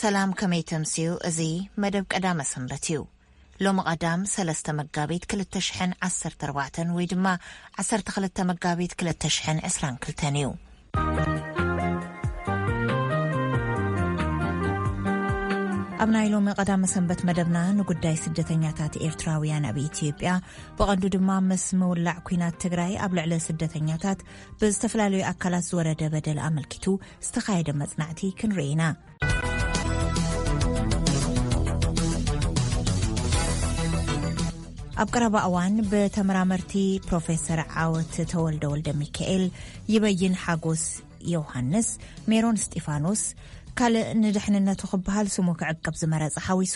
ሰላም፣ ከመይ ተምስዩ? እዚ መደብ ቀዳመ ሰንበት እዩ። ሎሚ ቀዳም ሰለስተ መጋቢት ክልተ ሽሕን ዓሰርተ ኣርባዕተን ወይ ድማ ዓሰርተ ክልተ መጋቢት ክልተ ሽሕን ዕስራን ክልተን እዩ። ኣብ ናይ ሎሚ ቀዳመ ሰንበት መደብና ንጉዳይ ስደተኛታት ኤርትራውያን ኣብ ኢትዮጵያ፣ ብቐንዱ ድማ ምስ ምውላዕ ኲናት ትግራይ ኣብ ልዕሊ ስደተኛታት ብዝተፈላለዩ ኣካላት ዝወረደ በደል ኣመልኪቱ ዝተኻየደ መጽናዕቲ ክንርኢ ኢና። ኣብ ቀረባ እዋን ብተመራመርቲ ፕሮፌሰር ዓወት ተወልደ ወልደ ሚካኤል፣ ይበይን ሓጎስ ዮሃንስ፣ ሜሮን እስጢፋኖስ፣ ካልእ ንድሕንነቱ ክበሃል ስሙ ክዕቀብ ዝመረጸ ሓዊሱ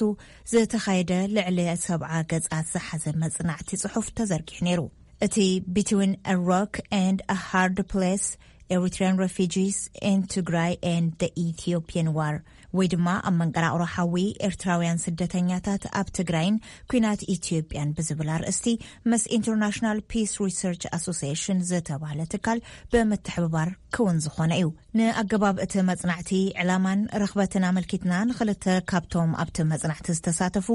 ዝተኻየደ ልዕሊ ሰብዓ ገጻት ዝሓዘ መጽናዕቲ ጽሑፍ ተዘርጊሑ ነይሩ። እቲ Between a Rock and a Hard Place: Eritrean Refugees in Tigray and the Ethiopian War ወይ ድማ ኣብ መንቀራቕሮ ሓዊ ኤርትራውያን ስደተኛታት ኣብ ትግራይን ኲናት ኢትዮጵያን ብዝብል ኣርእስቲ ምስ ኢንተርናሽናል ፒስ ሪሰርች ኣሶሲሽን ዝተባህለ ትካል ብምትሕብባር ክውን ዝኾነ እዩ። ንኣገባብ እቲ መጽናዕቲ፣ ዕላማን ረኽበትን ኣመልኪትና ንኽልተ ካብቶም ኣብቲ መጽናዕቲ ዝተሳተፉ፣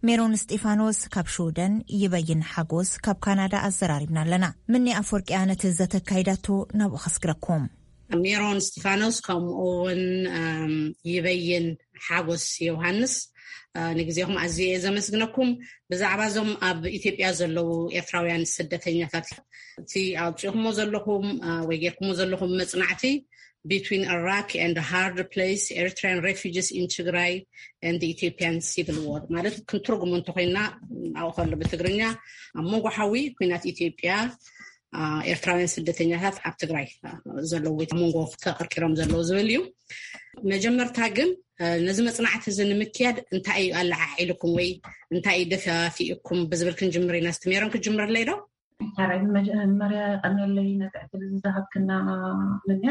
ሜሮን እስጢፋኖስ ካብ ሽወደን፣ ይበይን ሓጎስ ካብ ካናዳ ኣዘራሪብና ኣለና። ምኒ ኣፈወርቂያ ነቲ ዘተካይዳቶ ናብኡ ከስግረኩም። ሜሮን እስጢፋኖስ ከምኡ እውን፣ እም፣ ይበይን ሓጎስ ዮሃንስ፣ እ፣ ንግዜኹም ኣዝየ እየ ዘመስግነኩም። ብዛዕባ እዞም ኣብ ኢትዮጵያ ዘለዉ ኤርትራውያን ስደተኛታት፣ እቲ ኣውፂእኩሞ ዘለኹም፣ እ፣ ወይ ጌርኩሞ ዘለኹም መጽናዕቲ፣ Between a Rock and a Hard Place: Eritrean Refugees in Tigray and the Ethiopian Civil War ማለት ክንትርጉሙ እንተኾይና፣ ኣብኡ ከሎ ብትግርኛ ኣብ መንጎ ሓዊ ኲናት ኢትዮጵያ፣ እ፣ ኤርትራውያን ስደተኛታት ኣብ ትግራይ፣ እ፣ ዘለዉ፣ ኣብ መንጎ ተቐርቂሮም ዘለዉ ዝብል እዩ። መጀመርታ ግን፣ እ፣ ነዚ መጽናዕቲ እዚ ንምክያድ እንታይ እዩ ኣለዓዒልኩም ወይ እንታይ እዩ ደፋፊእኩም ብዝብል ክንጅምር ኢና። እስቲ ሜሮን፣ ክትጅምርለይ ዶ? ሓራይ፣ መጀመርያ ቀንየለይ ነቲ ዕድል ዝሃብክና ምንያ፣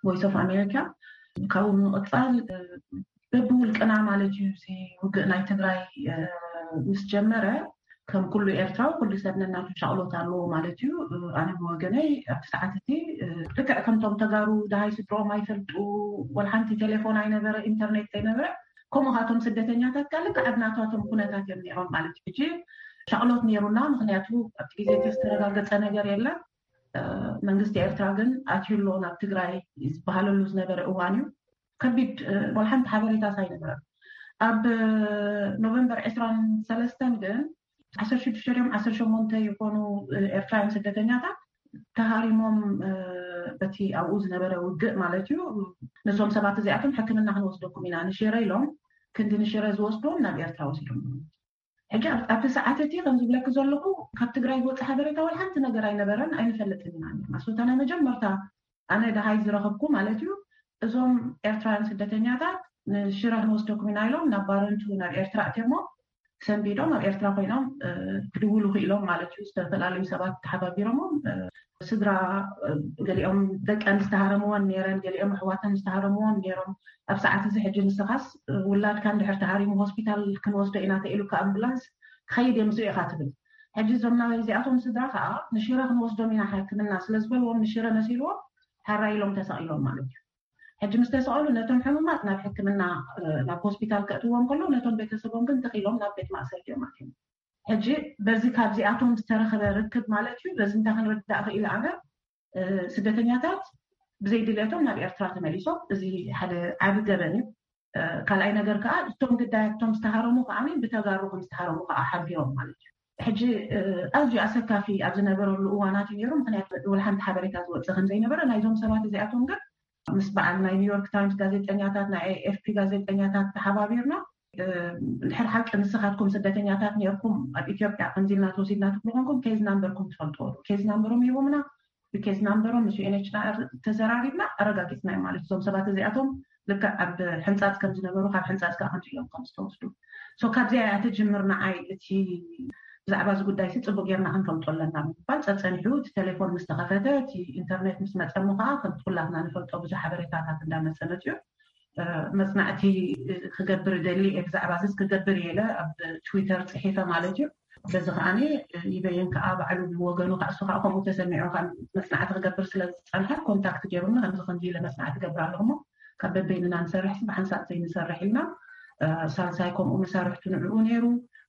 ቮይስ ኦፍ ኣሜሪካ። ካብኡ ንምቕጻል፣ እ፣ በብውልቅና ማለት እዩ፣ እዚ ውግእ ናይ ትግራይ፣ እ፣ ምስ ጀመረ፣ ከም ኩሉ ኤርትራዊ፣ ኩሉ ሰብ ነናቱ ሻቕሎት ኣለዎ ማለት እዩ። እ፣ ኣነ ብወገነይ ኣብቲ ሰዓት እቲ፣ እ፣ ልክዕ ከምቶም ተጋሩ ደሃይ ስድሮኦም ኣይፈልጡ፣ ወላ ሓንቲ ቴሌፎን ኣይነበረ፣ ኢንተርኔት ኣይነበረ፣ ከምኡ ካቶም ስደተኛታት ከኣ ልክዕ ኣብ ናታቶም ኩነታት እዮም ነይሮም ማለት እዩ። ሕጂ ሻቕሎት ነይሩና፣ ምኽንያቱ ኣብቲ ግዜ እቲ ዝተረጋገጸ ነገር የለን። እ፣ መንግስቲ ኤርትራ ግን ኣትዩ ኣሎ ናብ ትግራይ ዝበሃለሉ ዝነበረ እዋን እዩ። ከቢድ፣ እ፣ ወላ ሓንቲ ሓበሬታስ ኣይነበረን። ኣብ፣ እ፣ ኖቨምበር ዕስራን ሰለስተን ግን ዓሰርተ ሽዱሽተ ድዮም ዓሰርተ ሸሞንተ ይኾኑ፣ እ፣ ኤርትራውያን ስደተኛታት ተሃሪሞም፣ እ፣ በቲ ኣብኡ ዝነበረ ውግእ ማለት እዩ። ነዞም ሰባት እዚኣቶም ሕክምና ክንወስደኩም ኢና ንሽረ ኢሎም፣ ክንዲ ንሽረ ዝወስድዎም ናብ ኤርትራ ወሲዶም። ሕጂ ኣብ-፣ ኣብቲ ሰዓት እቲ ከም ዝብለኪ ዘለኹ፣ ካብ ትግራይ ዝወጽእ ሓበሬታ ወላ ሓንቲ ነገር ኣይነበረን፣ ኣይንፈልጥን ኢና ነርና። ሶታ ናይ መጀመርታ ኣነ ደሃይ ዝረኸብኩ ማለት እዩ፣ እዞም ኤርትራውያን ስደተኛታት ንሽረ ክንወስደኩም ኢና ኢሎም ናብ ባረንቱ፣ ናብ ኤርትራ ኣትዮሞ ሰንቢዶም ኣብ ኤርትራ ኮይኖም፣ እ፣ ክድውሉ ክኢሎም ማለት እዩ። ዝተፈላለዩ ሰባት ተሓባቢሮሞም፣ እ፣ ስድራ፣ እ፣ ገሊኦም ደቀን ዝተሃረምዎን ነይረን፣ ገሊኦም ኣሕዋተን ዝተሃረምዎን ነይሮም። ኣብ ሰዓት እዚ ሕጂ ንስኻስ፣ እ፣ ውላድካ እንድሕር ተሃሪሙ ሆስፒታል ክንወስዶ ኢና ተኢሉካ ኣምቡላንስ ክኸይድ የምጽኡ ኢኻ ትብል። ሕጂ እዞም ናይ እዚኣቶም ስድራ ከኣ ንሽረ ክንወስዶም ኢና ሕክምና ስለ ዝበልዎም፣ ንሽረ መሲልዎም ሓራይ ኢሎም ተሰቒሎም ማለት እዩ። ሕጂ ምስ ተሰቐሉ ነቶም ሕሙማት ናብ ሕክምና፣ እ፣ ናብ ሆስፒታል ከእትዎም ከለዉ፣ ነቶም ቤተሰቦም ግን ተኺሎም ናብ ቤት ማእሰርቲ እዮም ኣትዮም። ሕጂ በዚ ካብዚኣቶም ዝተረኸበ ርክብ ማለት እዩ፣ በዚ እንታይ ክንርዳእ ክኢለ ኣነ፣ እ፣ ስደተኛታት ብዘይ ድልየቶም ናብ ኤርትራ ተመሊሶም፣ እዚ ሓደ ዓቢ ገበን እዩ። እ፣ ካልኣይ ነገር ከኣ እቶም ግዳያት፣ እቶም ዝተሃረሙ ከኣ ብተጋሩ ከም ዝተሃረሙ ከኣ ሓቢሮም ማለት እዩ። ሕጂ፣ እ፣ ኣዝዩ ኣሰካፊ ኣብ ዝነበረሉ እዋናት እዩ ነይሩ፣ ምኽንያቱ ወላ ሓንቲ ሓበሬታ ዝወጽእ ከም ዘይነበረ ናይዞም ሰባት እዚኣቶም ግን ምስ በዓል ናይ ኒውዮርክ ታይምስ ጋዜጠኛታት፣ ናይ ኤኤፍፒ ጋዜጠኛታት ተሓባቢርና፣ እ፣ እንድሕር ሓቂ ንስኻትኩም ስደተኛታት ነርኩም ኣብ ኢትዮጵያ ከምዚ ኢልና ተወሲድና ትብሉ ኮንኩም፣ ኬዝ ናምበርኩም ትፈልጥዎ ዶ? ኬዝ ናምበሮም ሂቦምና፣ ብኬዝ ናምበሮም ምስ ዩኤንኤችሲኣር ተዘራሪብና ኣረጋጊጽና እዩ ማለት እዩ። እዞም ሰባት እዚኣቶም ልክዕ ኣብ ሕንጻጽ ከም ዝነበሩ፣ ካብ ሕንጻጽ ከኣ ከምዚ ኢሎም ከም ዝተወስዱ። ሶ ካብዚኣ እያ ትጅምር። ንዓይ እቲ ብዛዕባ እዚ ጉዳይ ሲ ጽቡቅ ጌርና ክንፈልጦ ኣለና ብምባል ጸጸኒሑ፣ እቲ ቴሌፎን ምስ ተኸፈተ፣ እቲ ኢንተርኔት ምስ መጸ እሞ ከኣ ከምቲ ኩላትና ንፈልጦ ብዙሕ ሓበሬታታት እንዳመጸ መጽዩ። እ፣ መጽናዕቲ ክገብር እደሊ እየ፣ ብዛዕባ እዚ ክገብር እየ ኢለ ኣብ ትዊተር ጽሒፈ ማለት እዩ። በዚ ከኣ ይበይን ከኣ ባዕሉ ብወገኑ ከኣ እሱ ከኣ ከምኡ ተሰሚዑ ከኣ መጽናዕቲ ክገብር ስለ ዝጸንሐ ኮንታክት ገይሩኒ፣ ከምዚ ከምዚ ኢለ መጽናዕቲ ገብር ኣለኹ እሞ ካብ በበይንና ንሰርሕ ብሓንሳእ ዘይንሰርሕ ኢልና። ሳልሳይ ከምኡ መሳርሕቱ ንዕኡ ነይሩ።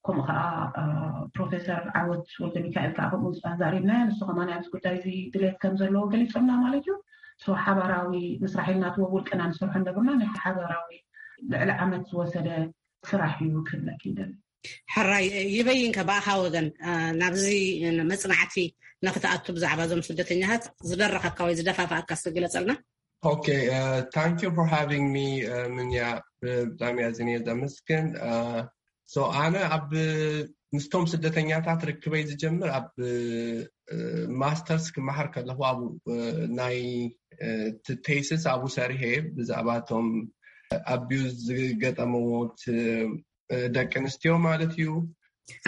ከምኡ ከዓ ፕሮፌሰር ዓወት ወልደ ሚካኤል ከዓ ከምኡ ዛሪብናዮ። ንሱ ከማን ኣብዚ ጉዳይ እዚ ድሌት ከም ዘለዎ ገሊፁልና ማለት እዩ። ሓባራዊ ምስራሕ ኢልና እቲ ውልቅና ንሰርሖ ነበርና። ናይ ሓባራዊ ልዕሊ ዓመት ዝወሰደ ስራሕ እዩ ክብለክ ይደል። ሕራይ ይበይን ከ ብኣኻ ወገን ናብዚ መፅናዕቲ ንክትኣቱ ብዛዕባ እዞም ስደተኛታት ዝደረኸካ ወይ ዝደፋፋኣካ ስግለፀልና። Okay, uh, thank you for having me, uh, ምንያ። ብጣዕሚ ኣዝየ ዘመስግን። So ኣነ ኣብ ምስቶም ስደተኛታት ርክበይ ዝጀምር ኣብ ማስተርስ ክመሃር ከለኹ ኣብ ናይ ቴስስ ኣብኡ ሰሪሐ ብዛዕባ እቶም ኣቢዩዝ ዝገጠመዎ ደቂ ኣንስትዮ ማለት እዩ።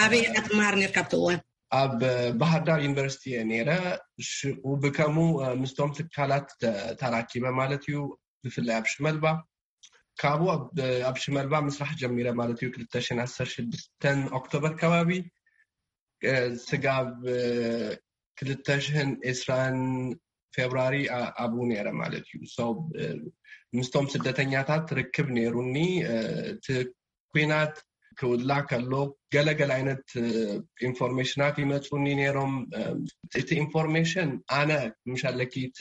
ኣበይ ኢኻ ትመሃር ነርካ ኣብቲ እዋን? ኣብ ባህርዳር ዩኒቨርሲቲ እየ ነይረ። ሽኡ ብከሙ ምስቶም ትካላት ተራኪበ ማለት እዩ። ብፍላይ ኣብ ሽመልባ ካብኡ ኣብ ሽመልባ ምስራሕ ጀሚረ ማለት እዩ። ክልተ ሽሕን ዓሰርተ ሽዱሽተ ኦክቶበር ከባቢ ስጋብ ክልተ ሽሕን ዕስራን ፌብራሪ ኣብኡ ነይረ ማለት እዩ። ምስቶም ስደተኛታት ርክብ ነይሩኒ። እቲ ኩናት ክውላ ከሎ ገለገለ ዓይነት ኢንፎርሜሽናት ይመፁኒ ነይሮም። እቲ ኢንፎርሜሽን ኣነ ምሻለኪ እቲ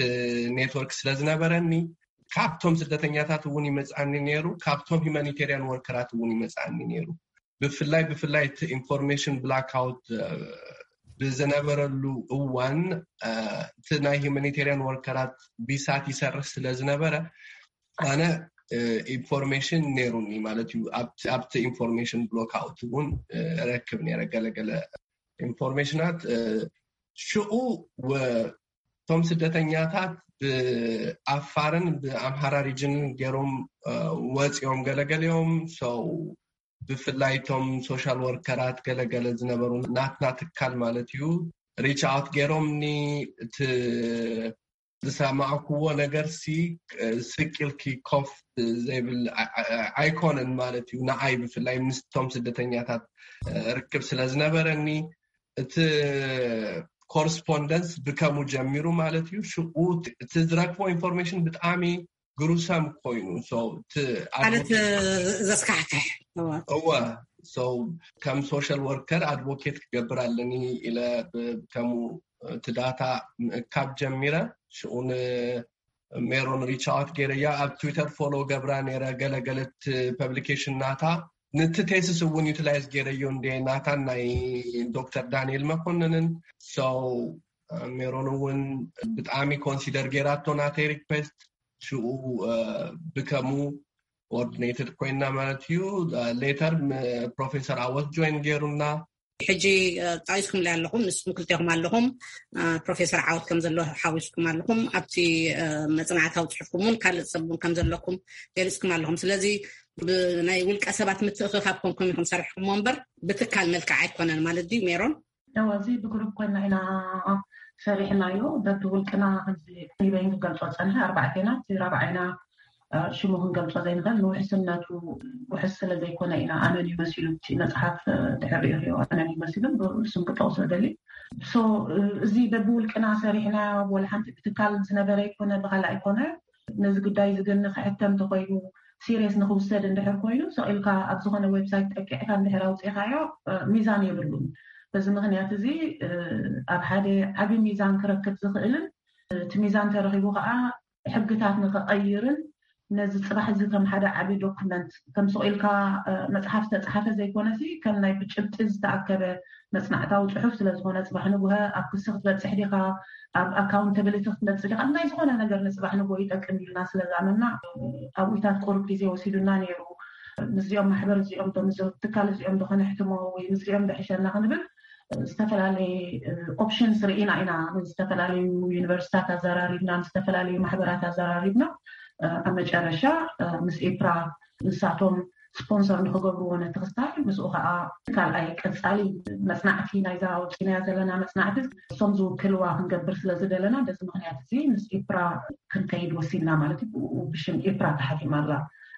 ኔትወርክ ስለዝነበረኒ ካብቶም ስደተኛታት እውን ይመፅኣኒ ነይሩ፣ ካብቶም ሂማኒቴሪያን ወርከራት እውን ይመፅኣኒ ነይሩ። ብፍላይ ብፍላይ እቲ ኢንፎርሜሽን ብላክኣውት ብዝነበረሉ እዋን እቲ ናይ ሂማኒቴሪያን ወርከራት ቢሳት ይሰርሕ ስለዝነበረ ኣነ ኢንፎርሜሽን ነይሩኒ ማለት እዩ። ኣብቲ ኢንፎርሜሽን ብሎክኣውት እውን ረክብ ነይረ ገለገለ ኢንፎርሜሽናት። ሽኡ እቶም ስደተኛታት ብኣፋርን ብኣምሃራ ሪጅንን ገይሮም ወፂኦም ገለገሊኦም ሰው ብፍላይ እቶም ሶሻል ወርከራት ገለገለ ዝነበሩ ናትና ትካል ማለት እዩ ሪች ኣውት ገይሮምኒ። እቲ ዝሰማዕኩዎ ነገር ሲ ስቅልኪ ኮፍ ዘይብል ኣይኮነን ማለት እዩ። ንዓይ ብፍላይ ምስቶም ስደተኛታት ርክብ ስለዝነበረኒ እቲ ኮረስፖንደንስ ብከሙ ጀሚሩ ማለት እዩ። ሽኡ እቲ ዝረክቦ ኢንፎርሜሽን ብጣዕሚ ግሩሰም ኮይኑ ማለት ዘስካሕክሕ። እወ ከም ሶሻል ወርከር ኣድቮኬት ክገብር ኣለኒ ኢለ ከሙ እቲ ዳታ ምእካብ ጀሚረ። ሽኡ ንሜሮን ሪች ኣውት ገይረያ ኣብ ትዊተር ፎሎ ገብራ ነይረ። ገለገለት ፐብሊኬሽን ናታ ንቲ ቴስስ እውን ዩቲላይዝ ገይረዮ እንደ ናታን ናይ ዶክተር ዳንኤል መኮንንን ሰው ሜሮን እውን ብጣዕሚ ኮንሲደር ገይራቶ ናተይ ሪኩዌስት። ሽኡ ብከሙ ኮኦርዲኔትድ ኮይና ማለት እዩ። ሌተር ፕሮፌሰር ኣወት ጆይን ገይሩና። ሕጂ ጠቂስኩም ላይ ኣለኹም፣ ንስኩም ክልቴኹም ኣለኹም፣ ፕሮፌሰር ዓወት ከም ዘሎ ሓዊስኩም ኣለኹም። ኣብቲ መፅናዕታዊ ፅሑፍኩም እውን ካልእ ሰብ እውን ከም ዘለኩም ገሊፅኩም ኣለኹም። ስለዚ ብናይ ውልቀ ሰባት ምትእኽኻብ ኮንኩም ኢኹም ሰሪሕኩሞ እምበር ብትካል መልክዕ ኣይኮነን ማለት ድዩ ሜሮን? ያው እዚ ብግሩፕ ኮይና ኢና ሰሪሕናዮ። በብውልቅና ከምዚ ሪበይን ክገልጾ ጸንሐ ኣርባዕቴና፣ እቲ ራብዓይና ሽሙ ክንገልጾ ዘይንኽእል ንውሕስነቱ ውሕስ ስለ ዘይኮነ ኢና ኣነን ይመሲሉ እቲ መጽሓፍ ድሕር ሪኦ ኣነን ይመሲሉ ስም ክጠቕሶ ደሊ። ሶ እዚ በብውልቅና ሰሪሕና ወላ ሓንቲ ብትካል ዝነበረ ይኮነ ብካልእ ኣይኮነ ነዚ ጉዳይ እዚ ግን ንክሕተም ተኮይኑ ሲሪየስ ንክውሰድ እንድሕር ኮይኑ ሰቂልካ ኣብ ዝኾነ ዌብሳይት ጠቂዕካ እንድሕር ኣውፅእካዮ ሚዛን የብሉን። በዚ ምክንያት እዚ ኣብ ሓደ ዓብዪ ሚዛን ክረክብ ዝኽእልን እቲ ሚዛን ተረኪቡ ከዓ ሕግታት ንክቐይርን ነዚ ፅባሕ እዚ ከም ሓደ ዓብዪ ዶክመንት ከም ሰቂልካ መፅሓፍ ዝተፅሓፈ ዘይኮነሲ ከም ናይ ብጭብጢ ዝተኣከበ መፅናዕታዊ ፅሑፍ ስለዝኾነ ፅባሕ ንጉሀ ኣብ ክሲ ክትበፅሕ ዲኻ ኣብ ኣካውንታብሊቲ ክትመፅእ ዲኻ ናይ ዝኾነ ነገር ንፅባሕ ንጎ ይጠቅም ኢልና ስለዝኣመና ኣብኡታት ቁሩብ ግዜ ወሲዱና ነይሩ። ምስዚኦም ማሕበር እዚኦም ዶ ምስዚኦም ትካል እዚኦም ዶ ከነሕትሞ ወይ ምስዚኦም ዶ ሕሸና ክንብል ዝተፈላለየ ኦፕሽንስ ርኢና ኢና። ዝተፈላለዩ ዩኒቨርሲታት ኣዘራሪብና፣ ዝተፈላለዩ ማሕበራት ኣዘራሪብና። ኣብ መጨረሻ ምስ ኤፕራ ንሳቶም ስፖንሰር ንክገብርዎ ነቲ ክስታይ ምስኡ ከዓ ካልኣይ ቀፃሊ መፅናዕቲ ናይዛ ኣውፂናያ ዘለና መፅናዕቲ እሶም ዝውክልዋ ክንገብር ስለዝደለና በዚ ምክንያት እዚ ምስ ኤፕራ ክንከይድ ወሲድና ማለት እዩ። ብኡ ብሽም ኤፕራ ተሓቲማ ኣላ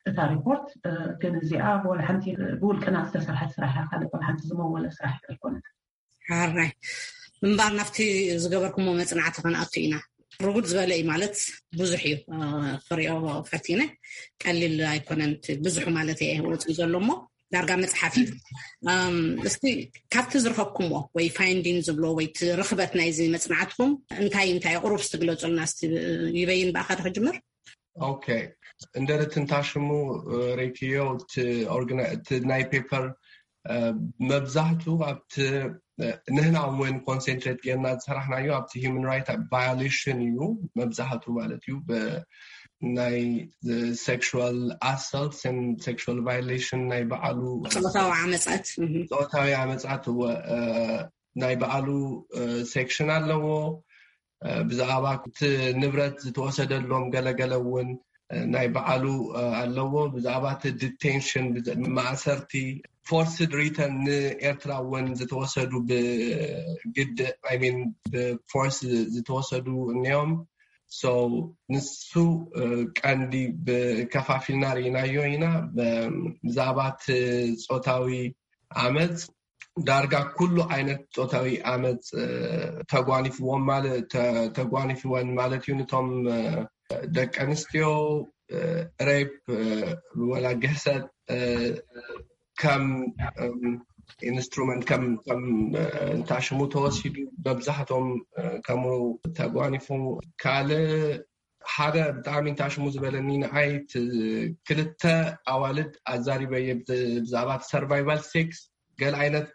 እታ ሪፖርት። ግን እዚኣ ብወላ ሓንቲ ብውልቅና ዝተሰርሐት ስራሕ እያ፣ ካልእ ወላ ሓንቲ ዝመወለ ስራሕ ኣይኮነት። ሓራይ እምባር ናብቲ ዝገበርኩሞ መፅናዕቲ ክንኣቱ ኢና። ርጉድ ዝበለ እዩ ማለት ብዙሕ እዩ። ክሪኦ ፈቲነ፣ ቀሊል ኣይኮነን። ብዙሑ ማለት እየ ወፂኡ ዘሎ እሞ ዳርጋ መፅሓፍ እዩ። እስቲ ካብቲ ዝረኸብኩምዎ ወይ ፋይንዲን ዝብሎ ወይ ርኽበት ናይዚ መፅናዕትኩም እንታይ እንታይ ቁሩብ ስትግለፁልና ስ ይበይን ብኣኻ ክጅምር። ኦኬ፣ እንደረት እንታሽሙ ሬክዮ እቲ ናይ ፔፐር መብዛሕቱ ኣብቲ ንህና እውን ኮንሰንትሬት ጌርና ዝሰራሕናዮ ኣብቲ ሂማን ራይት ቫዮሌሽን እዩ። መብዛሕቱ ማለት እዩ ናይ ሴክሹዋል ኣሳልት ን ሴክሹዋል ቫዮሌሽን ናይ በዓሉ ፆታዊ ዓመፃት ፆታዊ ዓመፃት እወ ናይ በዓሉ ሴክሽን ኣለዎ። ብዛዕባ እቲ ንብረት ዝተወሰደሎም ገለገለ እውን ናይ በዓሉ ኣለዎ። ብዛዕባ እቲ ዲቴንሽን ማእሰርቲ ፎርስድ ሪተርን ንኤርትራ እውን ዝተወሰዱ ብግድ ሚን ብፎርስ ዝተወሰዱ እኒኦም። ንሱ ቀንዲ ብከፋፊልና ርኢናዮ ኢና። ብዛዕባ እቲ ፆታዊ ዓመፅ ዳርጋ ኩሉ ዓይነት ፆታዊ ዓመፅ ተጓኒፍዎም ተጓኒፍወን ማለት እዩ። ንቶም ደቂ ኣንስትዮ ሬፕ ወላ ግህሰት ከም ኢንስትሩመንት ከም እንታሽሙ ተወሲዱ መብዛሕቶም ከምኡ ተጓኒፉ። ካልእ ሓደ ብጣዕሚ እንታሽሙ ዝበለኒ ንዓይ ክልተ ኣዋልድ ኣዛሪበየ ብዛዕባ ሰርቫይቫል ሴክስ ገለ ዓይነት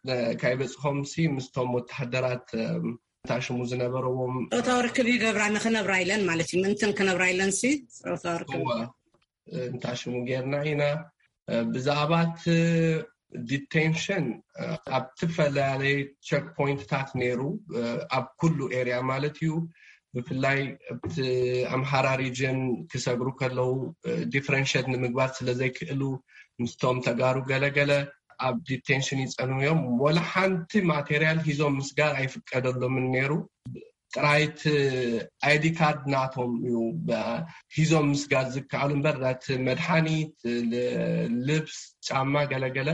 ካይበፅሖም ሲ ምስቶም ወተሃደራት እንታሽሙ ዝነበረዎም ፆታዊ ርክብ ይገብራ ንክነብራ ኢለን ማለት እዩ። ምእንትን ክነብራ ኢለን ሲ ፆታዊ ርክብ እንታሽሙ ጌርና ኢና። ብዛዕባ እቲ ዲቴንሽን ኣብ ዝተፈላለየ ቸክ ፖይንትታት ነይሩ ኣብ ኩሉ ኤርያ ማለት እዩ። ብፍላይ ኣብቲ ኣምሓራ ሪጅን ክሰግሩ ከለዉ ዲፍረንሽት ንምግባር ስለዘይክእሉ ምስቶም ተጋሩ ገለገለ ኣብ ዲቴንሽን ይፀንሑ እዮም። ወላ ሓንቲ ማቴርያል ሂዞም ምስጋር ኣይፍቀደሎምን ነይሩ። ጥራይት ኣይዲ ካርድ ናቶም እዩ ሂዞም ምስጋር ዝከኣሉ እምበር ዳት መድሓኒት፣ ልብስ፣ ጫማ ገለገለ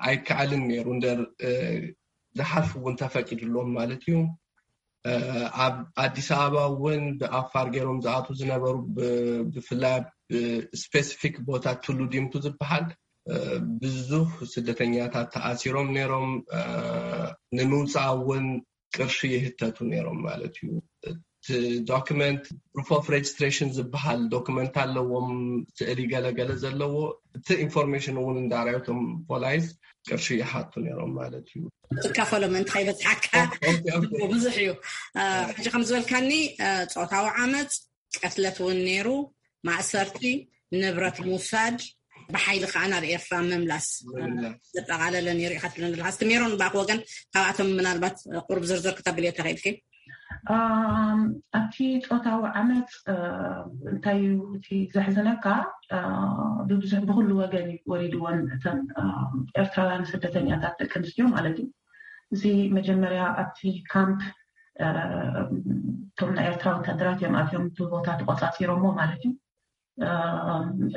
ኣይከኣልን ነይሩ። እንደር ዝሓልፉ እውን ተፈቂድሎም ማለት እዩ። ኣብ ኣዲስ ኣበባ እውን ብኣፋር ገይሮም ዝኣቱ ዝነበሩ ብፍላይ ኣብ ስፔሲፊክ ቦታ ቱሉ ዲምቱ ዝበሃል ብዙሕ ስደተኛታት ተኣሲሮም ነይሮም። ንምውፃእ እውን ቅርሺ ይህተቱ ነይሮም ማለት እዩ። እቲ ዶክመንት ፕሩፍ ኦፍ ሬጅስትሬሽን ዝበሃል ዶክመንት ኣለዎም፣ ስእሊ ገለገለ ዘለዎ። እቲ ኢንፎርሜሽን እውን እንዳርኣዩ እቶም ፖላይስ ቅርሺ ይሓቱ ነይሮም ማለት እዩ። ትካፈሎ ምእንቲ ከይበፅሓካ ብዙሕ እዩ። ሕጂ ከም ዝበልካኒ ፆታዊ ዓመፅ፣ ቀትለት እውን ነይሩ፣ ማእሰርቲ፣ ንብረት ምውሳድ፣ ብሓይሊ ከዓ ናብ ኤርትራ ምምላስ ዘጠቓለለ ነይሩ ኢካ ትብለኒ ዘለካ። እስቲ ሜሮን ብኣክ ወገን ካብኣቶም ምናልባት ቁሩብ ዝርዝር ክተብልዮ ተኽእልኪ? ኣብቲ ፆታዊ ዓመፅ እንታይ እዩ እቲ ዘሕዝነካ፣ ብብዙሕ ብኩሉ ወገን እዩ ወሪድዎን እተን ኤርትራውያን ስደተኛታት ደቂ ኣንስትዮ ማለት እዩ። እዚ መጀመርያ ኣብቲ ካምፕ እቶም ናይ ኤርትራ ወታደራት እዮም ኣትዮም እቲ ቦታ ተቆፃፂሮሞ ማለት እዩ።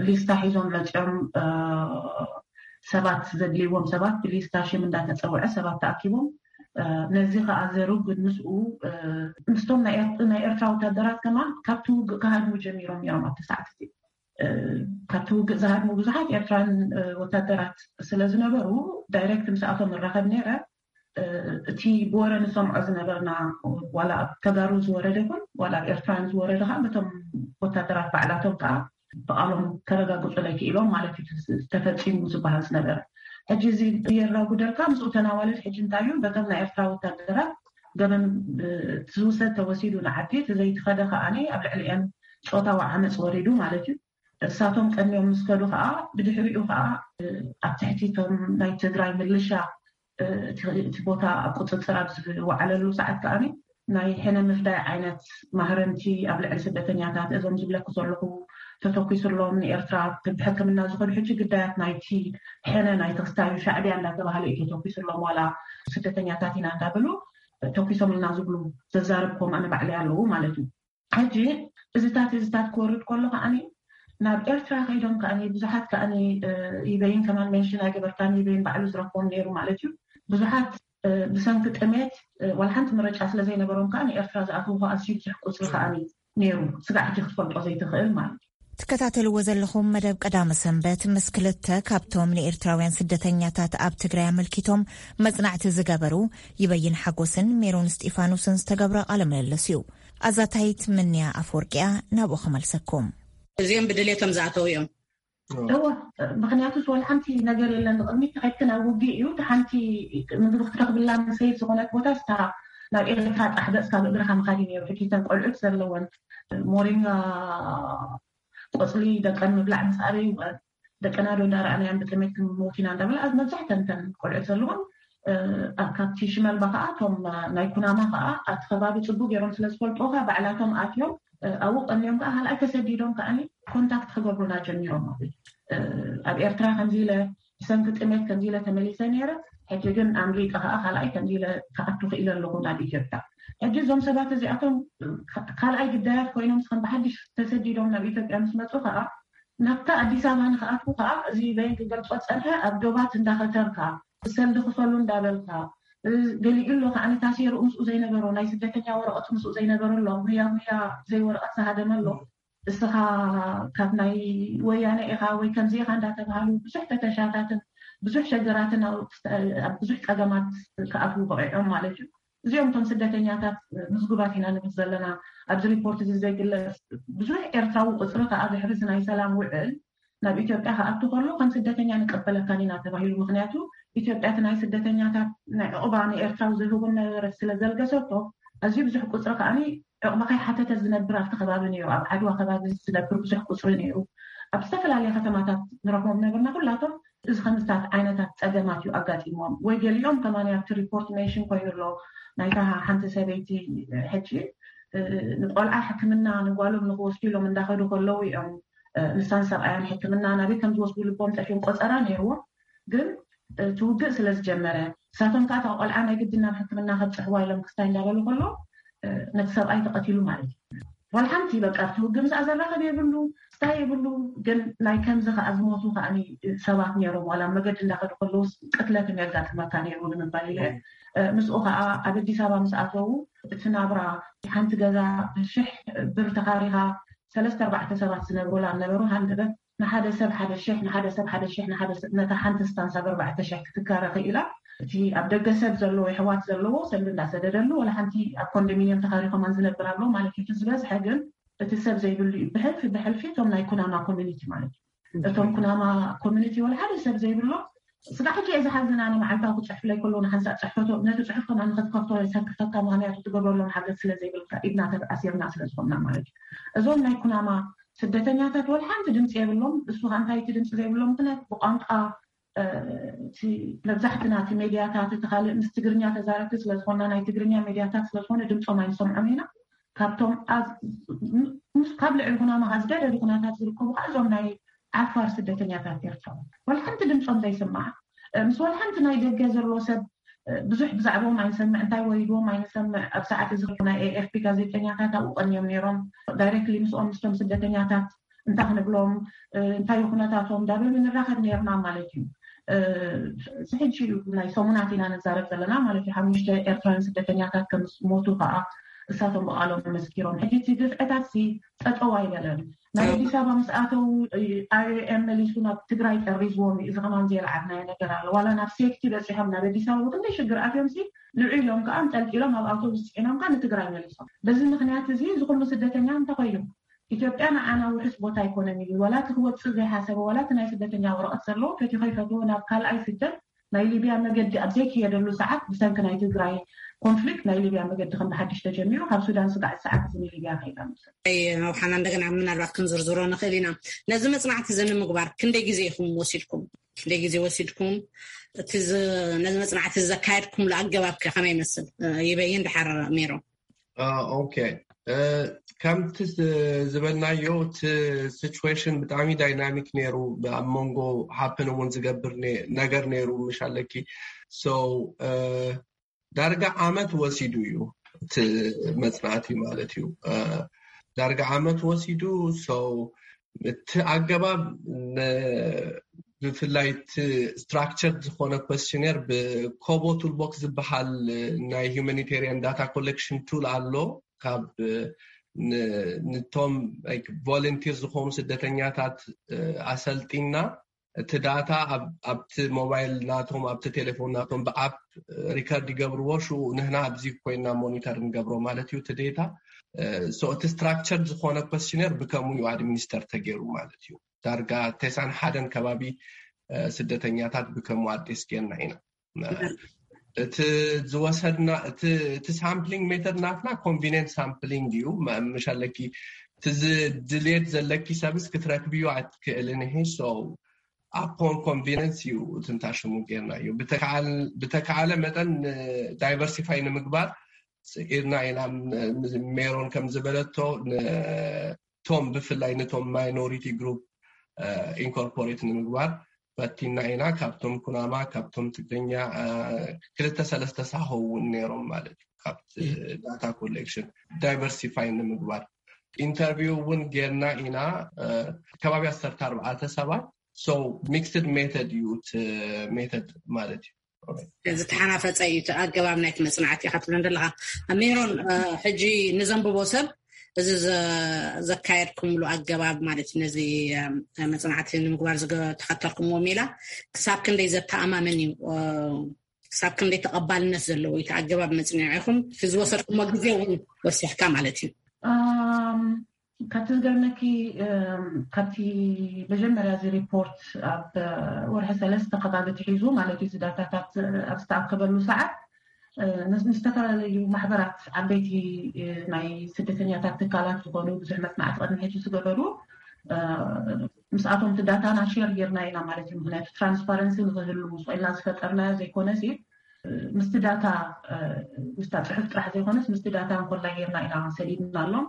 ሊስታ ሒዞም መፅኦም ሰባት ዘድልይዎም ሰባት ብሊስታ ሽም እንዳተፀውዐ ሰባት ተኣኪቦም ነዚ ከዓ ዘሩ ግን ምስኡ ምስቶም ናይ ኤርትራ ወታደራት ከማን ካብቲ ውግእ ክሃድሙ ጀሚሮም ነይሮም ኣብቲ ሰዓት እቲ ካብቲ ውግእ ዝሃድሙ ብዙሓት ኤርትራን ወታደራት ስለዝነበሩ ዳይሬክት ምስኣቶም እራኸብ ነይረ። እቲ ብወረ ንሰምዖ ዝነበርና ዋላ ኣብ ተጋሩ ዝወረደ ይኹን ዋላ ኣብ ኤርትራን ዝወረደ ከዓ በቶም ወታደራት ባዕላቶም ከዓ ብቃሎም ከረጋግፁለይ ክኢሎም ማለት እዩ ተፈፂሙ ዝበሃል ዝነበረ። ሕጂ እዚ የራጉደልካ ምስኡ ተናዋልድ ሕጂ እንታይ እዩ በቶም ናይ ኤርትራ ወታደራት ገበን ዝውሰድ ተወሲዱ ንዓዲ እቲ ዘይትኸደ ከዓ ኣብ ልዕሊአን ፆታዊ ዓመፅ ወሪዱ ማለት እዩ። እሳቶም ቀንዮም ምስ ከዱ ከዓ ብድሕሪኡ ከዓ ኣብ ትሕቲ ቶም ናይ ትግራይ ምልሻ እቲ ቦታ ኣብ ቁፅፅር ኣብ ዝወዓለሉ ሰዓት ከዓ ናይ ሕነ ምፍዳይ ዓይነት ማህረምቲ ኣብ ልዕሊ ስደተኛታት እዞም ዝብለኩ ዘለኹ ተተኪሱሎም ንኤርትራ ብሕክምና ዝኸዱ ሕጂ ግዳያት ናይቲ ሕነ ናይ ተክስታዩ ሻዕብያ እንዳተባሃለ እዩ ተተኪሱሎም። ዋላ ስደተኛታት ኢና እንዳበሉ ተኪሶምልና ዝብሉ ዘዛረብኩም ኣነ ባዕለይ ኣለዉ ማለት እዩ። ሕጂ እዚታት እዚታት ክወርድ ከሎ ከዓኒ ናብ ኤርትራ ከይዶም ከዓኒ ብዙሓት ከዓኒ ይበይን ከማን ሜንሽን ኣይገበርካን ይበይን ባዕሉ ዝረክቦም ነይሩ ማለት እዩ። ብዙሓት ብሰንኪ ጥሜት ዋላ ሓንቲ ምርጫ ስለ ዘይነበሮም ከዓ ንኤርትራ ዝኣተዉ ኣዝዩ ብዙሕ ቁፅሪ ከዓ ነይሩ። ስጋዕ ሕጂ ክትፈልጦ ዘይትኽእል ማለት እዩ። ትከታተልዎ ዘለኹም መደብ ቀዳመ ሰንበት ምስ ክልተ ካብቶም ንኤርትራውያን ስደተኛታት ኣብ ትግራይ ኣመልኪቶም መጽናዕቲ ዝገበሩ ይበይን ሓጎስን ሜሮን እስጢፋኖስን ዝተገብረ ቃለ ምልልስ እዩ። ኣዛታይት ምንያ ኣፈወርቂያ ናብኡ ክመልሰኩም። እዚኦም ብድሌቶም ዝኣተው እዮም። እወ፣ ምክንያቱ ዋላ ሓንቲ ነገር የለን። ንቅድሚት ተኸድክን ኣብ ውግእ እዩ። ሓንቲ ምግቢ ክትረክብላ ሰይፍ ዝኾነት ቦታ ስታ ናብ ኤርትራ ጣሕበፅካ ብእግርካ ምካድ እዩ ነይሩ። ሕጂ ተን ቆልዑት ዘለወን ሞሪንጋ ቆፅሊ ደቀን ምብላዕ ምስ ኣበይ ደቀና ዶ እንዳረኣናያን ብጥሜት ክንሞት ኢና እንዳበላ ኣብ መብዛሕተን ተን ቆልዑት ዘለዎም ካብቲ ሽመልባ ከዓ እቶም ናይ ኩናማ ከዓ ኣብቲ ከባቢ ፅቡቅ ገይሮም ስለዝፈልጡካ ባዕላቶም ኣትዮም ኣብኡ ቀንዮም ከዓ ካልኣይ ተሰዲዶም ከዓ ኮንታክት ክገብሩና ጀሚሮም ማለት ኣብ ኤርትራ ከምዚ ኢለ ብሰንኪ ጥሜት ከምዚ ኢለ ተመሊሰ ነይረ። ሕጂ ግን ኣምሊጠ ከዓ ካልኣይ ከምዚ ኢለ ክኣቱ ክኢለ ኣለኹ ናብ ኢትዮጵያ። ሕጂ እዞም ሰባት እዚኣቶም ካልኣይ ግዳያት ኮይኖም ስከም ብሓድሽ ተሰዲዶም ናብ ኢትዮጵያ ምስ መፁ ከዓ ናብታ ኣዲስ ኣበባ ንክኣትዉ ከዓ እዚ በይን ክገልፆ ፀንሐ ኣብ ዶባት እንዳኸተርካ ሰልዲ ክፈሉ እንዳበልካ ገሊኡ ኣሎ ከዓ ታሲሩ ምስኡ ዘይነበሮ ናይ ስደተኛ ወረቐት ምስኡ ዘይነበረ ኣሎ ጉያ ጉያ ዘይወረቐት ዝሃደመ ኣሎ። እስኻ ካብ ናይ ወያነ ኢኻ ወይ ከምዚ ኢኻ እንዳተባሃሉ ብዙሕ ፈተሻታትን ብዙሕ ሸገራትን ኣብ ብዙሕ ፀገማት ክኣትዉ በቂዖም ማለት እዩ። እዚኦም እቶም ስደተኛታት ምዝጉባት ኢና ንብል ዘለና። ኣብዚ ሪፖርት እዚ ዘይግለፅ ብዙሕ ኤርትራዊ ቁፅሪ ከዓ ድሕሪ እዚ ናይ ሰላም ውዕል ናብ ኢትዮጵያ ክኣቱ ከሎ ከም ስደተኛ ንቀበለካን ኢና ተባሂሉ። ምክንያቱ ኢትዮጵያ እቲ ናይ ስደተኛታት ናይ ዕቑባ ንኤርትራዊ ዝህቡ ነበረ ስለ ዘልገሰቶ ኣዝዩ ብዙሕ ቁፅሪ ከዓ ዕቑባ ከይሓተተ ዝነብር ኣብቲ ከባቢ ነይሩ። ኣብ ዓድዋ ከባቢ ዝነብር ብዙሕ ቁፅሪ ነይሩ። ኣብ ዝተፈላለየ ከተማታት ንረክቦም ነበርና። ኩላቶም እዚ ከምዝታት ዓይነታት ፀገማት እዩ ኣጋጢሞም ወይ ገሊኦም ከማን ኣብቲ ሪፖርት ሜንሽን ኮይኑ ኣሎ። ናይታ ሓንቲ ሰበይቲ ሕጂ ንቆልዓ ሕክምና ንጓሎም ንክወስዱ ኢሎም እንዳኸዱ ከለዉ እዮም ንሳን ሰብኣያን ሕክምና ናበይ ከም ዝወስዱ ልቦም ጠፊኦም ቆፀራ ነይርዎም። ግን እቲ ውግእ ስለ ዝጀመረ ንሳቶም ከዓ እታ ቆልዓ ናይ ግድን ናብ ሕክምና ከብፅሕዋ ኢሎም ክስታይ እንዳበሉ ከሎ ነቲ ሰብኣይ ተቐቲሉ ማለት እዩ። ዋላ ሓንቲ በቃ ኣብቲ ውግእ ምስኣ ዘራኸብ የብሉ ስታይ የብሉ። ግን ናይ ከምዚ ከዓ ዝሞቱ ከዓ ሰባት ነይሮም ዋላ መገዲ እንዳኸዱ ከለውስ ቅትለት የጋጥመካ ነይሩ ንምባል ኢለ ምስኡ ከዓ ኣብ ኣዲስ ኣበባ ምስ ኣተዉ እቲ ናብራ ሓንቲ ገዛ ሽሕ ብር ተኻሪኻ ሰለስተ ኣርባዕተ ሰባት ዝነብሩላ ነበሩ። ሃንደበት ንሓደ ሰብ ሓደ ሽሕ ንሓደ ሰብ ሓደ ሽሕ ንሓደ ሰብ ነታ ሓንቲ ስታንስ ኣብ ኣርባዕተ ሽሕ ክትካረ ክኢላ። እቲ ኣብ ደገ ሰብ ዘለዎ የሕዋት ዘለዎ ሰልዲ እንዳሰደደሉ ዋላ ሓንቲ ኣብ ኮንዶሚኒየም ተኻሪኾማን ዝነብር ኣሎ ማለት እዩ። ዝበዝሐ ግን እቲ ሰብ ዘይብሉ እዩ። ብሕልፊ ብሕልፊ እቶም ናይ ኩናማ ኮሚኒቲ ማለት እዩ። እቶም ኩናማ ኮሚኒቲ ዋላ ሓደ ሰብ ዘይብሎ ስጋ ሕጂ እየ ዝሓዝን ኣነ መዓልታዊ ክፅሕፍለይ ከሎ ንሓንሳእ ፅሕፈቶ ነቲ ፅሑፍ ከማ ንክትከፍቶ የሰክፈካ ምክንያቱ ትገብረሎም ሓገዝ ስለ ዘይብልካ ኢድና ተኣሲርና ስለ ዝኾንና ማለት እዩ። እዞም ናይ ኩናማ ስደተኛታት ዋላ ሓንቲ ድምፂ የብሎም። እሱ ከዓ እንታይ እቲ ድምፂ ዘይብሎም ምክንያት ብቋንቋ መብዛሕትና እቲ ሜድያታት እቲ ካልእ ምስ ትግርኛ ተዛረብቲ ስለዝኮና ናይ ትግርኛ ሜድያታት ስለዝኮነ ድምፆም ኣይንሰምዖም ኢና። ካብቶም ካብ ልዕሊ ኩናማ ዝገደዱ ኩነታት ዝርከቡ ከዓ እዞም ናይ ዓፋር ስደተኛታት ኤርትራዊ ዋላ ሓንቲ ድምፆም ዘይስማዕ ምስ ዋላ ሓንቲ ናይ ደገ ዘሎ ሰብ ብዙሕ ብዛዕባኦም ኣይንሰምዕ። እንታይ ወሪድዎም ኣይንሰምዕ። ኣብ ሰዓት እዚ ናይ ኤኤፍፒ ጋዜጠኛታት ኣብኡ ቀንዮም ነይሮም። ዳይሬክትሊ ምስኦም ምስቶም ስደተኛታት እንታይ ክንብሎም እንታይ ኩነታቶም ዳብል ንራኸብ ነይርና ማለት እዩ። ሕጂ ናይ ሰሙናት ኢና ንዛረብ ዘለና ማለት እዩ። ሓሙሽተ ኤርትራውያን ስደተኛታት ከም ሞቱ ከዓ እሳቶም ብቃሎም መስኪሮም። ሕጂ እቲ ግፍዕታት ሲ ጠጠው ኣይበለን። ናብ ኣዲስ ኣበባ ምስ ኣተው ኣይኦኤም መሊሱ ናብ ትግራይ ጠሪዝዎም እዩ። እዚ ከማን ዘየልዓልናዮ ነገር ኣሎ። ዋላ ናብ ሴፍቲ በፂሖም ናብ ኣዲስ ኣበባ ብክንደይ ሽግር ኣትዮም ሲ ልዑ ኢሎም ከዓ እንጠልጢሎም ኣብ ኣውቶቡስ ፅዒኖም ከዓ ንትግራይ መሊሶም። በዚ ምክንያት እዚ እዚ ኩሉ ስደተኛ እንተኮይኑ ኢትዮጵያ ንዓና ውሑስ ቦታ ኣይኮነን እዩ። ዋላ እቲ ክወፅእ ዘይሓሰበ ዋላ እቲ ናይ ስደተኛ ወረቐት ዘለዎ ፈትዩ ከይፈትዎ ናብ ካልኣይ ስደት ናይ ሊብያ መገዲ ኣብ ዘይክየደሉ ሰዓት ብሰንኪ ናይ ትግራይ ኮንፍሊክት ናይ ሊብያ መገዲ ከም ብሓድሽ ተጀሚሩ ካብ ሱዳን ስጋዕ ሰዓት እዚ ንሊብያ ከይዳ ምስ ኣይ መውሓና እንደገና ምናልባት ክንዝርዝሮ ንኽእል ኢና። ነዚ መፅናዕቲ እዚ ንምግባር ክንደይ ግዜ ኢኹም ወሲድኩም? ክንደይ ግዜ ወሲድኩም? እቲ ነዚ መፅናዕቲ ዘካየድኩምሉ ኣገባብ ከ ከመይ ይመስል? ይበይን ድሓር ሜሮ ኦኬ ከምቲ ዝበልናዮ እቲ ሲቹዌሽን ብጣዕሚ ዳይናሚክ ነይሩ። ኣብ መንጎ ሃፕን እውን ዝገብር ነገር ነይሩ ምሽ ኣለኪ። ሶ ዳርጋ ዓመት ወሲዱ እዩ እቲ መፅናዕቲ ማለት እዩ። ዳርጋ ዓመት ወሲዱ። ሶ እቲ ኣገባብ ብፍላይ እቲ ስትራክቸር ዝኾነ questionnaire ብኮቦ ቱልቦክስ ዝበሃል ናይ humanitarian data collection tool ኣሎ። ካብ ነቶም ቮለንቲር ዝኾኑ ስደተኛታት ኣሰልጢና እቲ ዳታ ኣብቲ ሞባይል ናቶም ኣብቲ ቴሌፎን ናቶም ብኣፕ ሪከርድ ይገብርዎ። ሽኡ ንህና ኣብዚ ኮይና ሞኒተር ንገብሮ ማለት እዩ። እቲ ዴታ እቲ ስትራክቸር ዝኾነ questionnaire ብከምኡ እዩ ኣድሚኒስተር ተገይሩ ማለት እዩ። ዳርጋ ተሳን ሓደን ከባቢ ስደተኛታት ብከምኡ ኣድሬስ ጌርና ኢና። እቲ ዝወሰድና እቲ ሳምፕሊንግ ሜተድ ናትና ኮንቪኒንስ ሳምፕሊንግ እዩ። ምሽ ኣለኪ እቲ ድሌት ዘለኪ ሰብስ ክትረክብዩ ኣትክእልን። ይሄ ኣፖን ኮንቪኒንስ እዩ። እቲ ንታሽሙ ጌርና እዩ። ብተካኣለ መጠን ዳይቨርሲፋይ ንምግባር ኢድና ኢና። ሜሮን ከም ዝበለቶ ቶም ብፍላይ ነቶም ማይኖሪቲ ግሩፕ ኢንኮርፖሬት ንምግባር ፈቲና ኢና። ካብቶም ኩናማ፣ ካብቶም ትግርኛ ክልተ ሰለስተ ሳሆ እውን ነይሮም ማለት እዩ። ካብቲ ዳታ ኮሌክሽን ዳይቨርሲፋይ ንምግባር ኢንተርቪው እውን ጌርና ኢና። ከባቢ ዓሰርተ ኣርባዕተ ሰባት። ሶ ሚክስድ ሜተድ እዩ እቲ ሜተድ ማለት እዩ። ዝተሓናፈፀ እዩ እቲ ኣገባብ ናይቲ መፅናዕቲ ኢኻ ትብለን ዘለኻ። ሜሮን፣ ሕጂ ንዘንብቦ ሰብ እዚ ዘካየድኩምሉ ኣገባብ ማለት እዩ፣ ነዚ መፅናዕቲ ንምግባር ዝተኸተልኩምዎ ሜላ ክሳብ ክንደይ ዘተኣማምን እዩ? ክሳብ ክንደይ ተቐባልነት ዘለዎ እዩ እቲ ኣገባብ መፅኒዕኹም? እቲ ዝወሰድኩሞ ግዜ እውን ወሲኽካ ማለት እዩ። ካብቲ ዝገርመኪ፣ ካብቲ መጀመርያ እዚ ሪፖርት ኣብ ወርሒ ሰለስተ ከባቢ ትሒዙ ማለት እዩ፣ እዚ ዳታታት ኣብ ዝተኣከበሉ ሰዓት ምስ ዝተፈላለዩ ማሕበራት፣ ዓበይቲ ናይ ስደተኛታት ትካላት ዝኾኑ ብዙሕ መፅናዕቲ ቅድሚ ሕጂ ዝገበሩ ምስኣቶም እቲ ዳታና ሼር ጌርና ኢና ማለት እዩ። ምክንያቱ ትራንስፓረንሲ ንክህሉ ስኢልና ዝፈጠርናዮ ዘይኮነ ምስቲ ዳታ ምስታ ፅሑፍ ጥራሕ ዘይኮነስ ምስቲ ዳታ እንኮላይ ጌርና ኢና ሰዲድናሎም።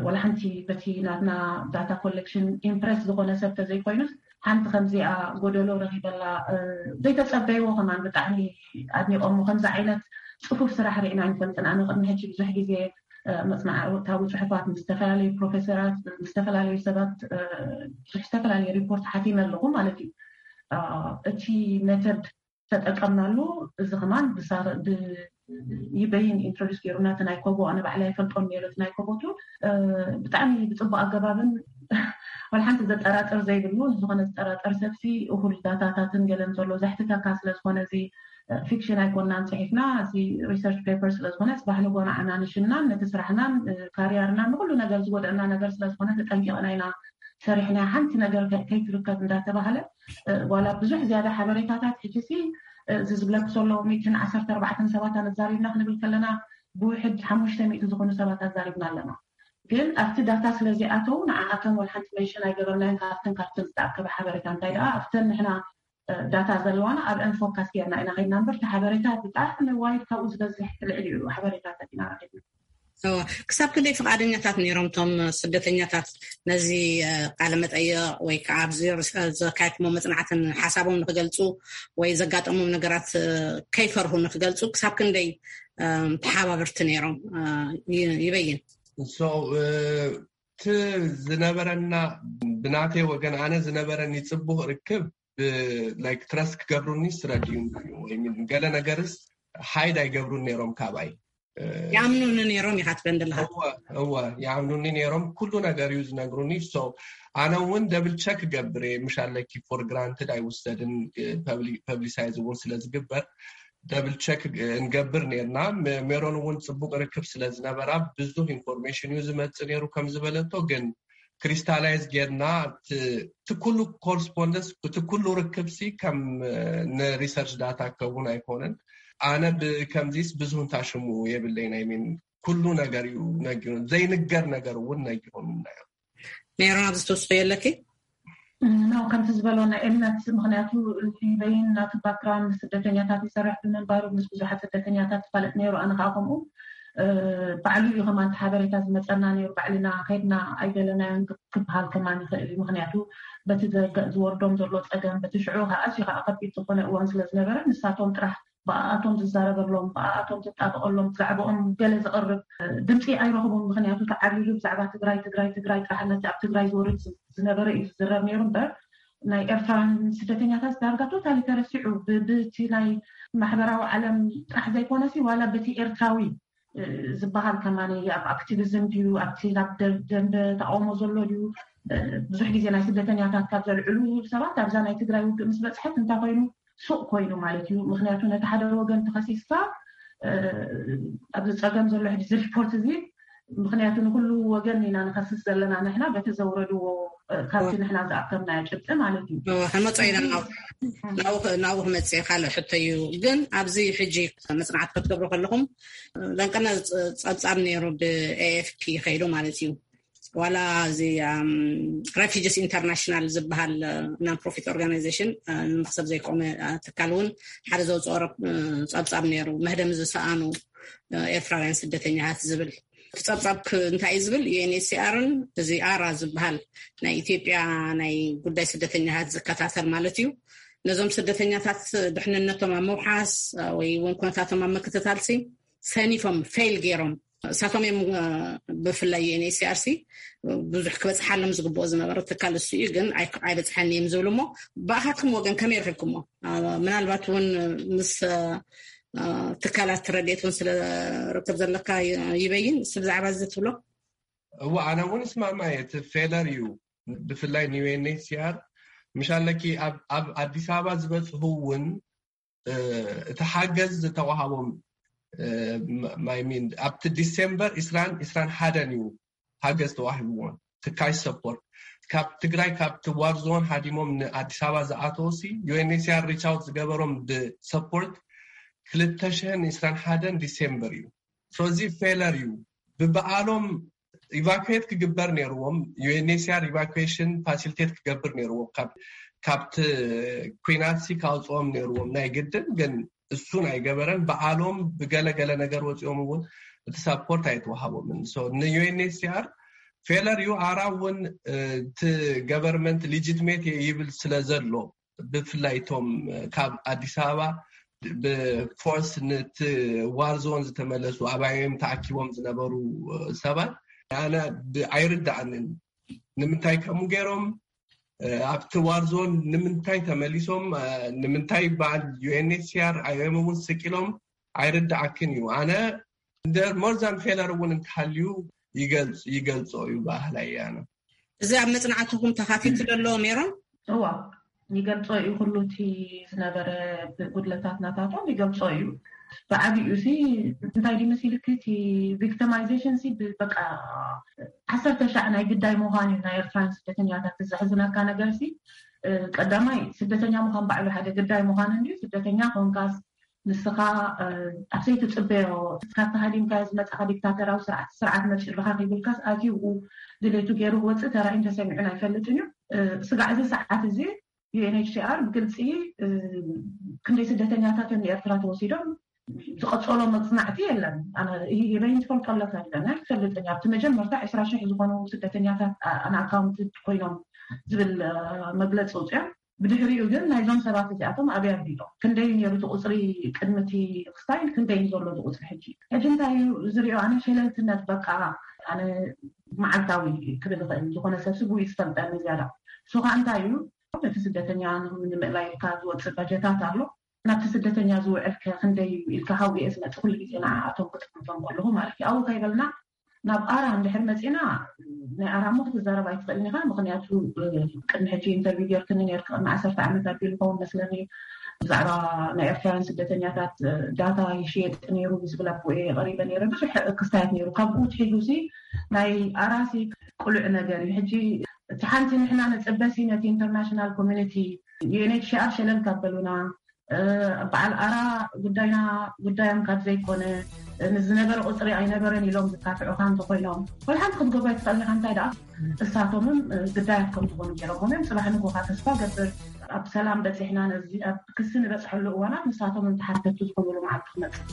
ዋላ ሓንቲ በቲ ናትና ዳታ ኮሌክሽን ኢምፕረስ ዝኾነ ሰብ ተዘይኮይኑስ ሓንቲ ከምዚኣ ጎደሎ ረኺበላ ዘይተፀበይዎ ከማን ብጣዕሚ ኣድኒቆሞ። ከምዚ ዓይነት ፅፉፍ ስራሕ ርኢና ኣይንፈልጥን። ኣነ ቅድሚ ሕጂ ብዙሕ ግዜ መፅናዕታዊ ፅሑፋት ምስ ዝተፈላለዩ ፕሮፌሰራት ምስ ዝተፈላለዩ ሰባት ብዙሕ ዝተፈላለየ ሪፖርት ሓቲመ ኣለኹ ማለት እዩ። እቲ ሜተድ ተጠቀምናሉ። እዚ ከማን ይበይን ኢንትሮዲስ ገይሩና እቲ ናይ ኮቦ ኣነ ባዕላ ይፈልጦም ነይረ እቲ ናይ ኮቦ ቱል ብጣዕሚ ብፅቡቅ ኣገባብን ወላ ሓንቲ ዘጠራጥር ዘይብሉ ዝኾነ ዝጠራጠር ሰብሲ እኹል ዳታታትን ገለን ዘሎ ዘሕትተካ ስለዝኾነ እዚ ፊክሽን ኣይኮናን ፅሒፍና እዚ ሪሰርች ፔፐር ስለዝኾነ ፅባሕ ንጎና ኣናንሽናን ነቲ ስራሕናን ካሪያርናን ንኩሉ ነገር ዝጎደእና ነገር ስለዝኾነ ተጠንቂቕና ኢና ሰሪሕና ሓንቲ ነገር ከይትርከብ እንዳተባሃለ ዋላ ብዙሕ ዝያዳ ሓበሬታታት ሕጂ ሲ እዚ ዝብለክ ዘሎ ሚእትን ዓሰርተ ኣርባዕተን ሰባት ኣነዛሪብና ክንብል ከለና ብውሕድ ሓሙሽተ ሚእቲ ዝኾኑ ሰባት ኣዛሪብና ኣለና። ግን ኣብቲ ዳታ ስለዚኣተው ንዓኣተን ወላ ሓንቲ መንሽን ኣይገበርናዮን። ካብትን ካብትን ዝተኣከበ ሓበሬታ እንታይ ደኣ ኣብተን ንሕና ዳታ ዘለዋና ኣብአን ፎካስ ጌርና ኢና ከይድና እምበር እቲ ሓበሬታ ብጣዕሚ ዋይድ ካብኡ ዝበዝሕ ልዕሊ ሓበሬታታት ኢና ረኪብና። ክሳብ ክንደይ ፍቃደኛታት ነይሮም እቶም ስደተኛታት ነዚ ቃለ መጠየቅ ወይ ከዓ ኣብዚ ዘካየድኩሞ መፅናዕትን ሓሳቦም ንክገልፁ ወይ ዘጋጠሞም ነገራት ከይፈርሁ ንክገልፁ ክሳብ ክንደይ ተሓባበርቲ ነይሮም? ይበይን እቲ ዝነበረና ብናተይ ወገን ኣነ ዝነበረኒ ፅቡቅ ርክብ ላይክ ትረስት ክገብሩኒ ስረድዩ ወይ ገለ ነገርስ ሓይድ ኣይገብሩን ነይሮም ካባይ። ይኣምኑኒ ነይሮም ኢኻ ትበን ዘለኻ? እወ ይኣምኑኒ ነይሮም። ኩሉ ነገር እዩ ዝነግሩኒ። ኣነ እውን ደብል ቸክ ገብር እየ። ምሽ ኣለኪ ፎር ግራንትድ ኣይውሰድን፣ ፐብሊሳይዝ እውን ስለዝግበር ደብል ቸክ እንገብር ነርና። ሜሮን እውን ፅቡቅ ርክብ ስለዝነበራ ብዙሕ ኢንፎርሜሽን እዩ ዝመፅእ ነይሩ ከም ዝበለቶ ግን ክሪስታላይዝ ጌርና እቲ ኩሉ ኮርስፖንደንስ እቲ ኩሉ ርክብሲ ከም ንሪሰርች ዳታ ከውን ኣይኮነን። ኣነ ብከምዚስ ብዙ እንታሽሙ የብለይ ናይ ሚን ኩሉ ነገር እዩ ነጊሩ ዘይንገር ነገር እውን ነጊሮም እናዮም። ሜሮን ኣብዚ ትውስኮ የለኪ? ከምቲ ዝበሎ ናይ እምነት ምክንያቱ በይን ናቱ ባክግራውንድ ስደተኛታት ይሰርሕ ብምንባሩ ምስ ብዙሓት ስደተኛታት ትፋለጥ ነይሩ። ኣነ ከዓ ከምኡ ባዕሉ እዩ ከማን ሓበሬታ ዝመፀና ነይሩ። ባዕልና ከይድና ኣይገለናዮን ክበሃል ከማን ይኽእል እዩ። ምክንያቱ በቲ ዝወርዶም ዘሎ ፀገም በቲ ሽዑ ከዓ ኣዝዩ ከዓ ከቢድ ዝኾነ እዋን ስለዝነበረ ንሳቶም ጥራሕ ብኣኣቶም ዝዛረበሎም ብኣኣቶም ዝጣበቀሎም ብዛዕባኦም ገለ ዝቕርብ ድምፂ ኣይረኽቡን። ምክንያቱ ተዓብሊሉ ብዛዕባ ትግራይ ትግራይ ትግራይ ጥራሕ ነቲ ኣብ ትግራይ ዝወርድ ዝነበረ እዩ ዝዝረብ ነይሩ እምበር ናይ ኤርትራውያን ስደተኛታት ዳርጋ ቶታሊ ተረሲዑ፣ ብቲ ናይ ማሕበራዊ ዓለም ጥራሕ ዘይኮነሲ ዋላ በቲ ኤርትራዊ ዝበሃል ከማኒ ኣብ ኣክቲቪዝም ድዩ ኣብቲ ናብ ደንበ ተቃውሞ ዘሎ ድዩ? ብዙሕ ግዜ ናይ ስደተኛታት ካብ ዘልዕሉ ሰባት ኣብዛ ናይ ትግራይ ውግእ ምስ በፅሐት እንታይ ኮይኑ ሱቕ ኮይኑ ማለት እዩ። ምክንያቱ ነቲ ሓደ ወገን ተኸሲስካ ኣብዚ ፀገም ዘሎ ሕዚ ሪፖርት እዚ፣ ምክንያቱ ንኩሉ ወገን ኢና ንኸስስ ዘለና ንሕና በቲ ዘውረድዎ ካብቲ ንሕና ዝኣከብናዮ ጭብጢ ማለት እዩ። ሕመፀ ኢና ናብኡ ክመፅእ ካልእ ሕቶ እዩ። ግን ኣብዚ ሕጂ መፅናዕቲ ክትገብሩ ከለኹም ለንቀና ፀብፃብ ነይሩ፣ ብኤኤፍፒ ከይዱ ማለት እዩ። ዋላ እዚ ሬፊጅስ ኢንተርናሽናል ዝበሃል ናን ፕሮፊት ኦርጋናይዜሽን፣ ንመክሰብ ዘይቆመ ትካል እውን ሓደ ዘውፅኦ ፀብፃብ ነይሩ፣ መህደም ዝሰኣኑ ኤርትራውያን ስደተኛታት ዝብል። እቲ ፀብፃብ እንታይ እዩ ዝብል? ዩኤንኤችሲኣርን እዚ ኣራ ዝበሃል ናይ ኢትዮጵያ ናይ ጉዳይ ስደተኛታት ዝከታተል ማለት እዩ፣ ነዞም ስደተኛታት ድሕንነቶም ኣብ ምውሓስ ወይ እውን ኩነታቶም ኣብ ምክትታልሲ ሰኒፎም፣ ፌል ገይሮም። እሳቶም እዮም ብፍላይ ዩኤንኤችሲኣርሲ ብዙሕ ክበፅሓሎም ዝግብኦ ዝነበረ ትካል እሱ እዩ፣ ግን ኣይበፅሐን እዮም ዝብሉ። እሞ ብኣኻትኩም ወገን ከመይ ረኪብኩሞ? ምናልባት እውን ምስ ትካላት ረድኤት እውን ስለ ርክብ ዘለካ ይበይን፣ ብዛዕባ እዚ ትብሎ? እዋ፣ ኣነ እውን እስማማ እየ። እቲ ፌለር እዩ፣ ብፍላይ ንዩኤንኤችሲኣር። ምሻለኪ ኣብ ኣዲስ ኣበባ ዝበፅሑ እውን እቲ ሓገዝ ዝተዋሃቦም ማይሚን ኣብቲ ዲሴምበር ዕስራን ዕስራን ሓደን እዩ ሓገዝ ተዋሂብዎም። ትካሽ ሰፖርት ካብ ትግራይ ካብቲ ዋር ዞን ሃዲሞም ንኣዲስ ኣበባ ዝኣተወሲ ዩኤንኤችሲኣር ሪቻውት ዝገበሮም ብሰፖርት ክልተ ሽሕን ዕስራን ሓደን ዲሴምበር እዩ። ስለዚ ፌለር እዩ። ብበዓሎም ኢቫኩዌት ክግበር ነይርዎም። ዩኤንኤችሲኣር ኢቫኩዌሽን ፋሲሊቴት ክገብር ነይርዎም፣ ካብቲ ኩናትሲ ካውፅኦም ነይርዎም ናይ ግድን። ግን እሱን ኣይገበረን። በዓሎም ብገለገለ ነገር ወፂኦም እውን እቲ ሳፖርት ኣይተዋሃቦምን። ንዩኤንኤችሲኣር ፌለር እዩ። ኣራ እውን እቲ ገቨርንመንት ሊጂትሜት ይብል ስለ ዘሎ፣ ብፍላይ እቶም ካብ ኣዲስ ኣበባ ብፎርስ ነቲ ዋር ዞን ዝተመለሱ፣ ኣባዮም ተኣኪቦም ዝነበሩ ሰባት ኣነ ኣይርዳእንን። ንምንታይ ከምኡ ገይሮም? ኣብቲ ዋር ዞን ንምንታይ ተመሊሶም? ንምንታይ በዓል ዩኤንኤችሲኣር ኣይኦም እውን ስቂሎም? ኣይርዳኣክን እዩ። ኣነ እንደ ሞርዛን ፌለር እውን እንተሃልዩ ይገልጾ እዩ ባህላይ ኣነ። እዚ ኣብ መጽናዕትኹም ተኻቲቱ ዘሎ ሜሮን? እዋ፣ ይገልጾ እዩ። ኩሉ እቲ ዝነበረ ጉድለታት ናታቶም ይገልጾ እዩ። ብዓቢኡ ሲ እንታይ ድዩ መሲልክ፣ እቲ ቪክቲማይዜሽን ሲ በቃ ዓሰርተ ሻዕ ናይ ግዳይ ምዃን እዩ ናይ ኤርትራን ስደተኛታት። ዘሕዝነካ ነገር ሲ ቀዳማይ ስደተኛ ምዃን ባዕሉ ሓደ ግዳይ ምዃን እንድዩ። ስደተኛ ኮንካስ ንስኻ ኣብ ዘይትጽበዮ፣ እስካ ተሃዲምካዮ ዝመጻኻ ዲክታተራዊ ስርዓት፣ ስርዓት መጺኡልካ ከይብልካስ ኣትዩ ድሌቱ ገይሩ ክወጽእ ተራእዩን ተሰሚዑን ኣይፈልጥን እዩ። ስጋዕ እዚ ሰዓት እዚ ዩኤንኤችሲኣር ብግልጺ ክንደይ ስደተኛታት እዮም ንኤርትራ ተወሲዶም ዝቐጸሎ መጽናዕቲ የለን። ኣነ ይበይን ትፈልጦ ኣለካ የለን ኣይፈልጥን። ኣብቲ መጀመርታ ዕስራ ሽሕ ዝኾኑ ስደተኛታት ኣን ኣካውንትድ ኮይኖም ዝብል መግለፂ ውፅኦም። ብድሕሪኡ ግን ናይዞም ሰባት እዚኣቶም ኣበይ ኣቢሎም? ክንደይ ነይሩ እቲ ቁፅሪ ቅድሚ እቲ ክስታይ ክንደይ እዩ ዘሎ እቲ ቁፅሪ ሕጂ? ሕጂ እንታይ እዩ ዝሪኦ? ኣነ ሸለልትነት በቃ ኣነ መዓልታዊ ክብል ይኽእል ዝኾነ ሰብ ስጉ እዩ ዝፈልጠኒ ዝያዳ። እሱ ከዓ እንታይ እዩ ነቲ ስደተኛ ንምእላይ ኢልካ ዝወፅእ በጀታት ኣሎ። ናብቲ ስደተኛ ዝውዕል ከ ክንደይ እዩ ኢልካ ሃው እየ ዝመፅእ ኩሉ ግዜ ንዓኣቶም ክጥምቶም ከለኹ ማለት እዩ። ኣብኡ ከይበልና ናብ ኣራ እንድሕር መፂና ናይ ኣራ እሞ ክትዛረብ ኣይትኽእልን ኢኻ። ምክንያቱ ቅድሚ ሕጂ ኢንተርቪው ጌርክኒ ነርክ ቅድሚ ዓሰርተ ዓመት ኣቢሉ ይኸውን መስለኒ ብዛዕባ ናይ ኤርትራውያን ስደተኛታት ዳታ ይሽየጥ ነይሩ ብዝብል ኣቦ እየ ቀሪበ ነይረ። ብዙሕ ክስታያት ነይሩ። ካብኡ ትሒዙ ሲ ናይ ኣራሲ ቁሉዕ ነገር እዩ። ሕጂ እቲ ሓንቲ ንሕና ነፅበሲ ነቲ ኢንተርናሽናል ኮሚኒቲ ዩኤንኤችሲኣር ሸለል ካበሉና በዓል ኣራ ጉዳይና ጉዳዮም ካብ ዘይኮነ ምስ ዝነበረ ቁፅሪ ኣይነበረን ኢሎም ዝካትዑካ እንተኮይኖም ወላ ሓንቲ ክትገብሮ ኣይትኽእል ኢኻ። እንታይ ደኣ እሳቶምም ግዳያት ከም ዝኾኑ ገይሮም እዮም። ፅባሕ ንጎኻ ተስፋ ገብር ኣብ ሰላም በፂሕና ነዚ ኣብ ክሲ ንበፅሐሉ እዋናት ንሳቶም እንተሓተቱ ዝኾኑሉ መዓልቲ ክመፅእ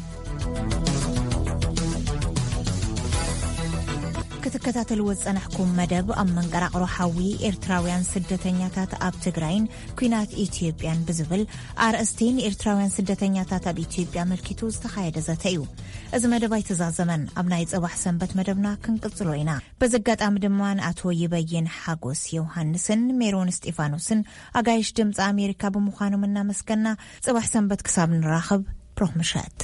ትከታተልዎ ዝጸናሕኩም መደብ ኣብ መንቀራቕሮ ሓዊ ኤርትራውያን ስደተኛታት ኣብ ትግራይን ኲናት ኢትዮጵያን ብዝብል ኣርእስቲ ንኤርትራውያን ስደተኛታት ኣብ ኢትዮጵያ ኣመልኪቱ ዝተኻየደ ዘተ እዩ። እዚ መደብ ኣይተዛዘመን። ኣብ ናይ ጽባሕ ሰንበት መደብና ክንቅጽሎ ኢና። በዚ ኣጋጣሚ ድማ ንኣቶ ይበይን ሓጎስ ዮሃንስን ሜሮን እስጢፋኖስን ኣጋይሽ ድምፂ ኣሜሪካ ብምዃኖም እናመስገና፣ ጽባሕ ሰንበት ክሳብ ንራኸብ ብሩኽ ምሸት።